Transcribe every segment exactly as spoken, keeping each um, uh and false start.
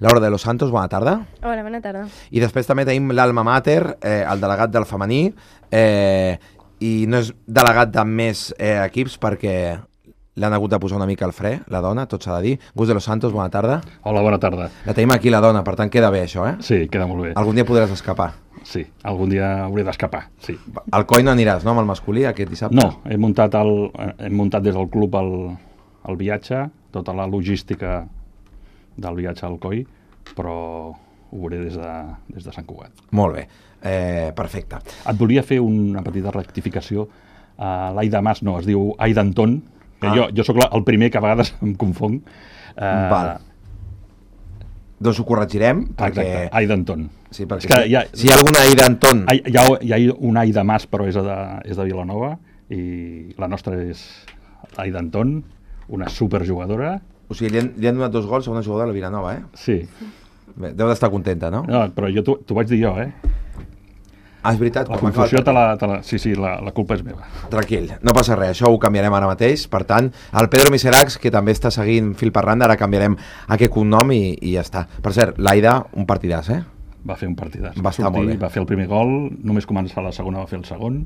Laura de los Santos, bona tarda. Hola, bona tarda. I després també tenim l'Alma Mater, eh, el delegat del femení, eh, i no és delegat de més eh, equips perquè l'han hagut de posar una mica al fre, la dona, tot s'ha de dir. Gus de los Santos, bona tarda. Hola, bona tarda. La tenim aquí, la dona, per tant queda bé això, eh? Sí, queda molt bé. Algun dia podràs escapar. Sí, algun dia hauré d'escapar, sí. Al Coi no aniràs, no, amb el masculí, aquest dissabte? No, he muntat, el, hem muntat des del club el, el viatge, tota la logística del viatge al Coi, però ho veuré des de, des de Sant Cugat. Molt bé, eh, perfecte. Et volia fer una petita rectificació. Uh, L'Aida Mas no, es diu Aida Anton, que ah. jo, jo sóc el primer que a vegades em confong. Uh, Val. Doncs ho corregirem, perquè... Exacte, Aida Anton. Sí, perquè és que si, hi ha, si hi ha alguna Aida Anton... Hi, hi, ha, hi ha una Aida Mas, però és de, és de Vilanova, i la nostra és Aida Anton, una superjugadora. O sigui, li han, li han donat dos gols a una jugadora de la Vilanova, eh? Sí. Bé, deu d'estar contenta, no? No, però jo t'ho vaig dir jo, eh? Ah, és veritat. La confusió, te la, te la, sí, sí, la, la culpa és meva. Tranquil, no passa res, això ho canviarem ara mateix. Per tant, el Pedro Miseracs, que també està seguint fil per randa, ara canviarem aquest cognom i, i ja està. Per cert, l'Aida, un partidàs, eh? Va fer un partidàs. Va estar molt bé. Va fer el primer gol, només començar la segona va fer el segon,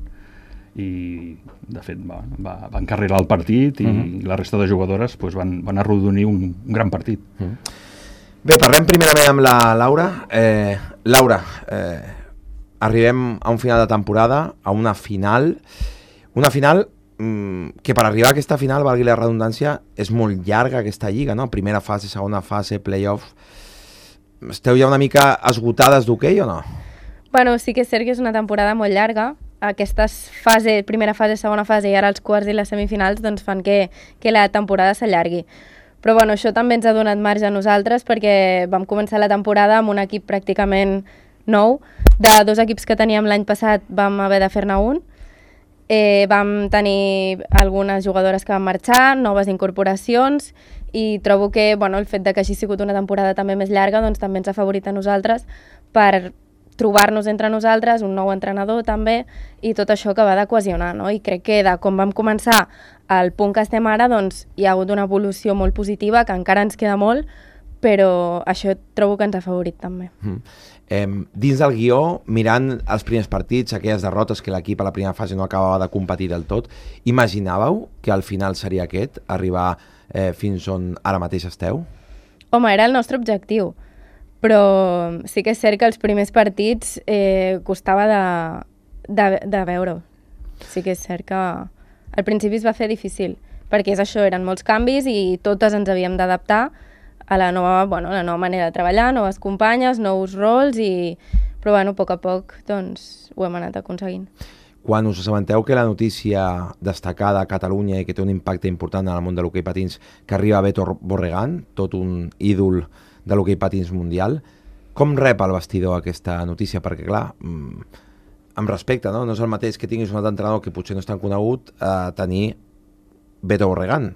i de fet va, va, va encarrilar el partit i, uh -huh. i la resta de jugadores pues, van, van arrodonir un, un gran partit. Uh -huh. Bé, parlem primerament amb la Laura. Eh, Laura, eh, arribem a un final de temporada, a una final, una final mmm, que per arribar a aquesta final, valgui la redundància, és molt llarga aquesta lliga, no? Primera fase, segona fase, play-off. Esteu ja una mica esgotades d'hoquei o no? Bueno, sí que és cert que és una temporada molt llarga. Aquestes fase, primera fase, segona fase i ara els quarts i les semifinals doncs fan que, que la temporada s'allargui. Però bueno, això també ens ha donat marge a nosaltres perquè vam començar la temporada amb un equip pràcticament nou. De dos equips que teníem l'any passat vam haver de fer-ne un. Eh, vam tenir algunes jugadores que van marxar, noves incorporacions, i trobo que bueno, el fet de que hagi sigut una temporada també més llarga doncs, també ens ha favorit a nosaltres per trobar-nos entre nosaltres, un nou entrenador també, i tot això que va de cohesionar, no? I crec que de com vam començar al punt que estem ara, doncs hi ha hagut una evolució molt positiva, que encara ens queda molt, però això trobo que ens ha favorit també. Mm. Eh, dins del guió, mirant els primers partits, aquelles derrotes que l'equip a la primera fase no acabava de competir del tot, imaginàveu que al final seria aquest, arribar eh, fins on ara mateix esteu? Home, era el nostre objectiu, però sí que és cert que els primers partits eh, costava de, de, de veure-ho. Sí que és cert que al principi es va fer difícil, perquè és això, eren molts canvis i totes ens havíem d'adaptar a la nova, bueno, la nova manera de treballar, noves companyes, nous rols, i... però bueno, a poc a poc doncs, ho hem anat aconseguint. Quan us assabenteu que la notícia destacada a Catalunya i que té un impacte important en el món de l'hoquei patins, que arriba Beto Borregán, tot un ídol de l'hoquei patins mundial, com rep el vestidor aquesta notícia? Perquè clar, amb respecte, no? No és el mateix que tinguis un altre entrenador que potser no és tan conegut a tenir Beto Borregán.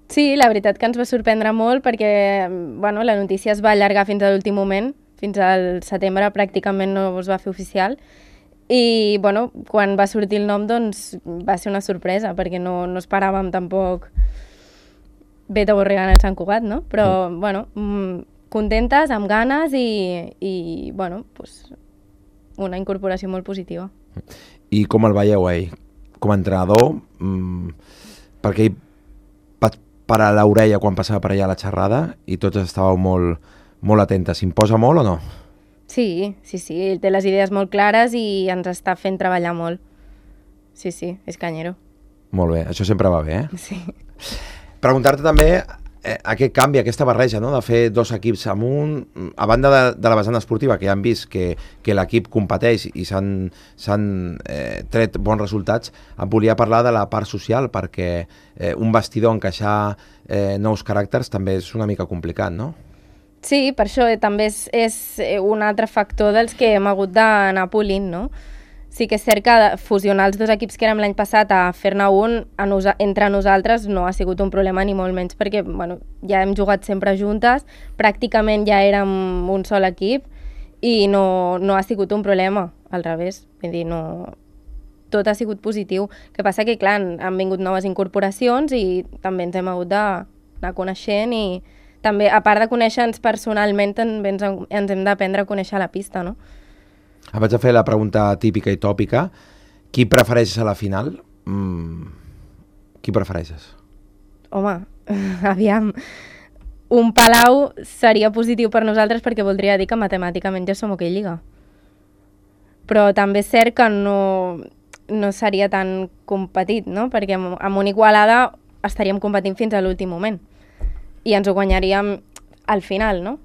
Sí, la veritat que ens va sorprendre molt perquè bueno, la notícia es va allargar fins a l'últim moment, fins al setembre pràcticament no es va fer oficial, i bueno, quan va sortir el nom doncs va ser una sorpresa perquè no, no esperàvem tampoc Beto Borregán al Sant Cugat, no? Però mm. bueno, contentes, amb ganes i, i bueno, pues, una incorporació molt positiva. I com el veieu ell? Com a entrenador, mmm, perquè ell parar l'orella quan passava per allà la xerrada i tots estàveu molt, molt atentes. S'imposa molt o no? Sí, sí, sí. Ell té les idees molt clares i ens està fent treballar molt. Sí, sí, és canyero. Molt bé, això sempre va bé, eh? Sí. Preguntar-te també eh, aquest canvi, aquesta barreja, no?, de fer dos equips amb un... A banda de, de la vessant esportiva, que ja han vist que, que l'equip competeix i s'han eh, tret bons resultats, em volia parlar de la part social, perquè eh, un vestidor, encaixar eh, nous caràcters, també és una mica complicat, no? Sí, per això eh, també és, és un altre factor dels que hem hagut d'anar polint, no? Sí que és cert que fusionar els dos equips que érem l'any passat a fer-ne un a nosa entre nosaltres no ha sigut un problema ni molt menys perquè bueno, ja hem jugat sempre juntes, pràcticament ja érem un sol equip i no, no ha sigut un problema, al revés, vull dir, no... tot ha sigut positiu. El que passa que, clar, han vingut noves incorporacions i també ens hem hagut d'anar coneixent i també, a part de conèixer-nos personalment, també ens, ens hem d'aprendre a conèixer la pista, no? Em vaig a fer la pregunta típica i tòpica. Qui prefereixes a la final? Mm, qui prefereixes? Home, aviam, un Palau seria positiu per nosaltres perquè voldria dir que matemàticament ja som hoquei lliga. Però també és cert que no, no seria tan competit, no? Perquè amb, amb una Igualada estaríem competint fins a l'últim moment i ens ho guanyaríem al final, no?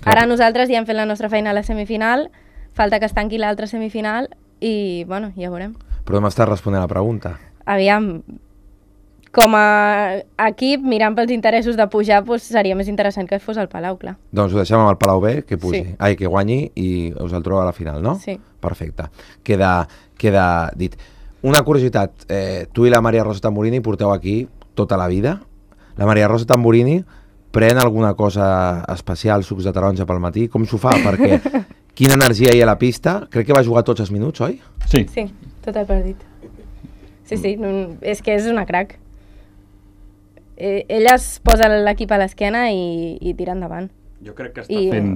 Clar. Ara nosaltres ja hem fet la nostra feina a la semifinal, falta que es tanqui l'altra semifinal i, bueno, ja veurem. Però m'estàs responent a la pregunta. Aviam, com a equip, mirant pels interessos de pujar, doncs seria més interessant que fos el Palau, clar. Doncs ho deixem amb el Palau B, que pugi, Sí. ai, que guanyi i us el trobeu a la final, no? Sí. Perfecte. Queda, queda dit. Una curiositat, eh, tu i la Maria Rosa Tamburini porteu aquí tota la vida. La Maria Rosa Tamburini pren alguna cosa especial, sucs de taronja pel matí? Com s'ho fa? Perquè quina energia hi ha a la pista. Crec que va jugar tots els minuts, oi? Sí. Sí, tot el partit. Sí, sí, no, és que és una crac. Eh, ella es posa l'equip a l'esquena i, i tira endavant. Jo crec que està I- fent...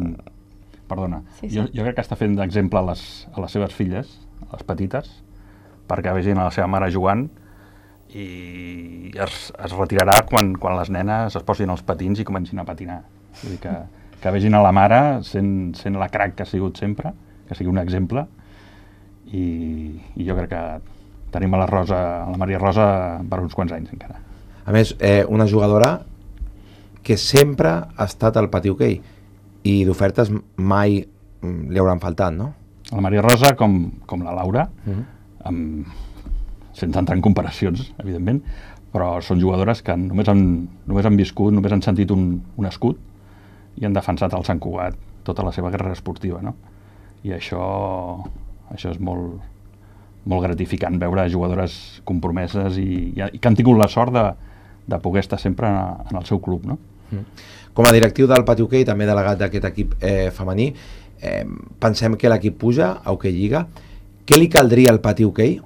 Perdona. Sí, sí. Jo, jo crec que està fent d'exemple a, les, a les seves filles, a les petites, perquè vegin a la seva mare jugant i es, es retirarà quan, quan les nenes es posin els patins i comencin a patinar. Vull dir que, que vegin a la mare sent, sent la crac que ha sigut sempre, que sigui un exemple, i, i jo crec que tenim a la Rosa, a la Maria Rosa per uns quants anys encara. A més, eh, una jugadora que sempre ha estat al pati hoquei i d'ofertes mai mm, li hauran faltat, no? La Maria Rosa, com, com la Laura, Mhm. amb, sense entrar en comparacions, evidentment, però són jugadores que només han, només han viscut, només han sentit un, un escut i han defensat el Sant Cugat tota la seva carrera esportiva, no? I això, això és molt, molt gratificant, veure jugadores compromeses i, i que han tingut la sort de, de poder estar sempre en, en el seu club, no? Com a directiu del pati hoquei, també delegat d'aquest equip eh, femení, eh, pensem que l'equip puja a Hoquei Lliga. Què li caldria al pati hoquei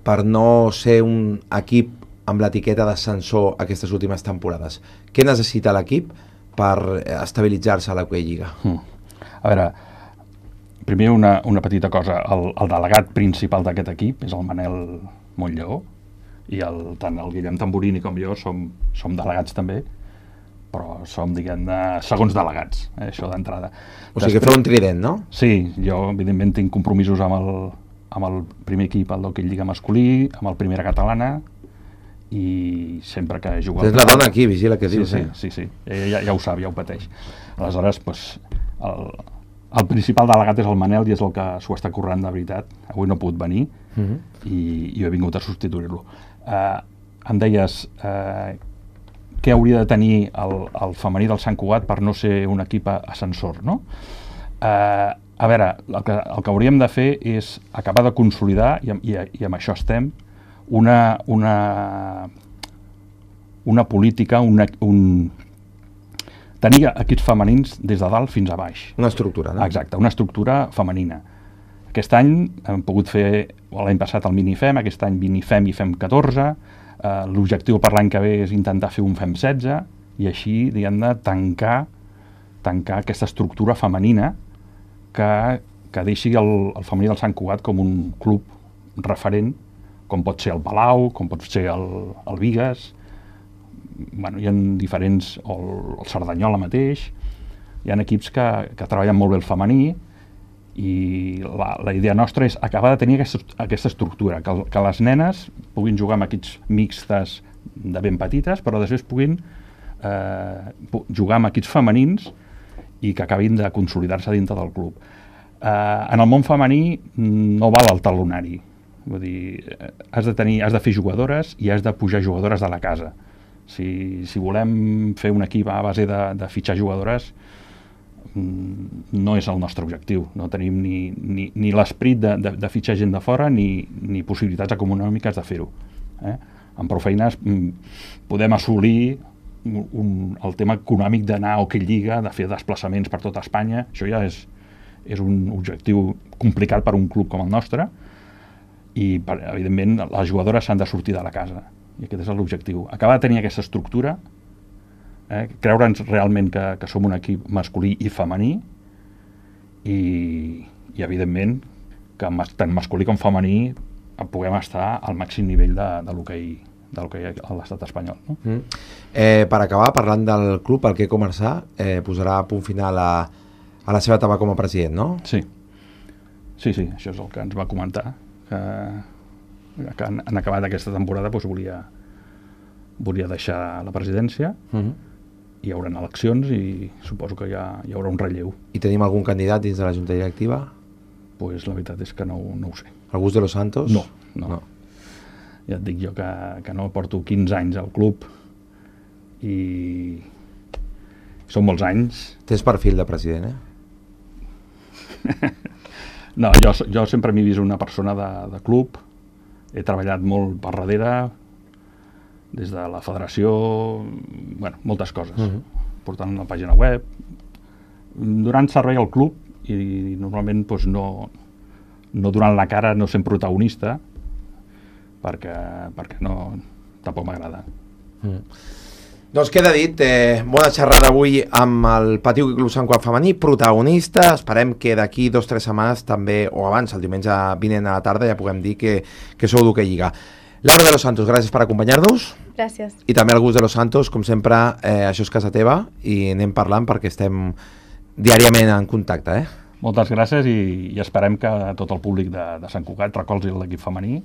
per no ser un equip amb l'etiqueta d'ascensor aquestes últimes temporades? Què necessita l'equip per eh, estabilitzar-se a l'Hoquei Lliga? Mm. A veure, primer una, una petita cosa. El, el delegat principal d'aquest equip és el Manel Montlleó, i el, tant el Guillem Tamburini com jo som, som delegats també, però som, diguem-ne, segons delegats, eh, això d'entrada. O sigui que feu un trident, no? Sí, jo evidentment tinc compromisos amb el, amb el primer equip, el d'Hoquei Lliga masculí, amb el Primera Catalana, i sempre que jugo... Tens la dona aquí, vigila què Sí, dius, sí, eh? sí, sí. Ella ja, ja ho sap, ja ho pateix. Aleshores, doncs, el, el principal delegat és el Manel i és el que s'ho està currant de veritat. Avui no ha pogut venir Mhm. i, i jo he vingut a substituir-lo. Uh, em deies uh, què hauria de tenir el, el femení del Sant Cugat per no ser un equip ascensor, no? Uh, a veure, el que, el que hauríem de fer és acabar de consolidar, i, i, i amb això estem, una, una, una política, una, un, tenir equips femenins des de dalt fins a baix. Una estructura, no? Exacte, una estructura femenina. Aquest any hem pogut fer, l'any passat el Minifem, aquest any Minifem i Fem catorze, eh, l'objectiu per l'any que ve és intentar fer un Fem setze, i així, diguem-ne, tancar, tancar aquesta estructura femenina que, que deixi el, el femení del Sant Cugat com un club referent, com pot ser el Palau, com pot ser el, el Bigues, bueno, hi ha diferents, o el, el Cerdanyola mateix, hi ha equips que, que treballen molt bé el femení, i la, la idea nostra és acabar de tenir aquesta, aquesta estructura, que, que les nenes puguin jugar amb equips mixtes de ben petites, però després puguin eh, jugar amb equips femenins i que acabin de consolidar-se dintre del club. Eh, en el món femení no val el talonari, vull dir, has de, tenir, has de fer jugadores i has de pujar jugadores de la casa. Si, si volem fer un equip a base de, de fitxar jugadores, no és el nostre objectiu. No tenim ni, ni, ni l'esperit de, de, de fitxar gent de fora ni, ni possibilitats econòmiques de fer-ho. Eh? Amb prou feines podem assolir un, un, el tema econòmic d'anar a Hoquei Lliga, de fer desplaçaments per tota Espanya. Això ja és, és un objectiu complicat per un club com el nostre, i per, evidentment les jugadores s'han de sortir de la casa, i aquest és l'objectiu. Acabar de tenir aquesta estructura eh? Creure'ns realment que, que som un equip masculí i femení i, i evidentment que mas, tant masculí com femení puguem estar al màxim nivell de, de l'hoquei de l'hoquei a l'estat espanyol. No? Mm. Eh, per acabar, parlant del club, el que començar, eh, posarà punt final a, a la seva etapa com a president, no? Sí. Sí, sí, això és el que ens va comentar, que, que en, en acabat aquesta temporada doncs, volia, volia deixar la presidència, Mm-hmm. hi haurà eleccions i suposo que hi, ha, hi haurà un relleu. I tenim algun candidat dins de la Junta Directiva? Pues la veritat és que no, no ho sé. Algú de los Santos? No, no. no. Ja et dic jo que, que no porto quinze anys al club i són molts anys. Tens perfil de president, eh? No, jo, jo sempre m'he vist una persona de, de club, he treballat molt per darrere, des de la federació, bueno, moltes coses, uh-huh. portant una pàgina web, donant servei al club i normalment doncs, no, no donant la cara, no sent protagonista, perquè, perquè no, tampoc m'agrada. Mm. Doncs queda dit, eh, bona xerrada avui amb el Patí Club Sant Cugat femení, protagonista, esperem que d'aquí dos o tres setmanes també, o abans, el diumenge vinent a la tarda, ja puguem dir que, que sou d'Hoquei Lliga. Laura de los Santos, gràcies per acompanyar-nos. Gràcies. I també al Gus de los Santos, com sempre, eh, això és casa teva i anem parlant perquè estem diàriament en contacte, eh? Moltes gràcies i, i esperem que tot el públic de, de Sant Cugat recolzi l'equip femení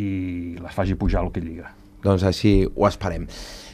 i les faci pujar al Hoquei Lliga. Doncs així ho esperem.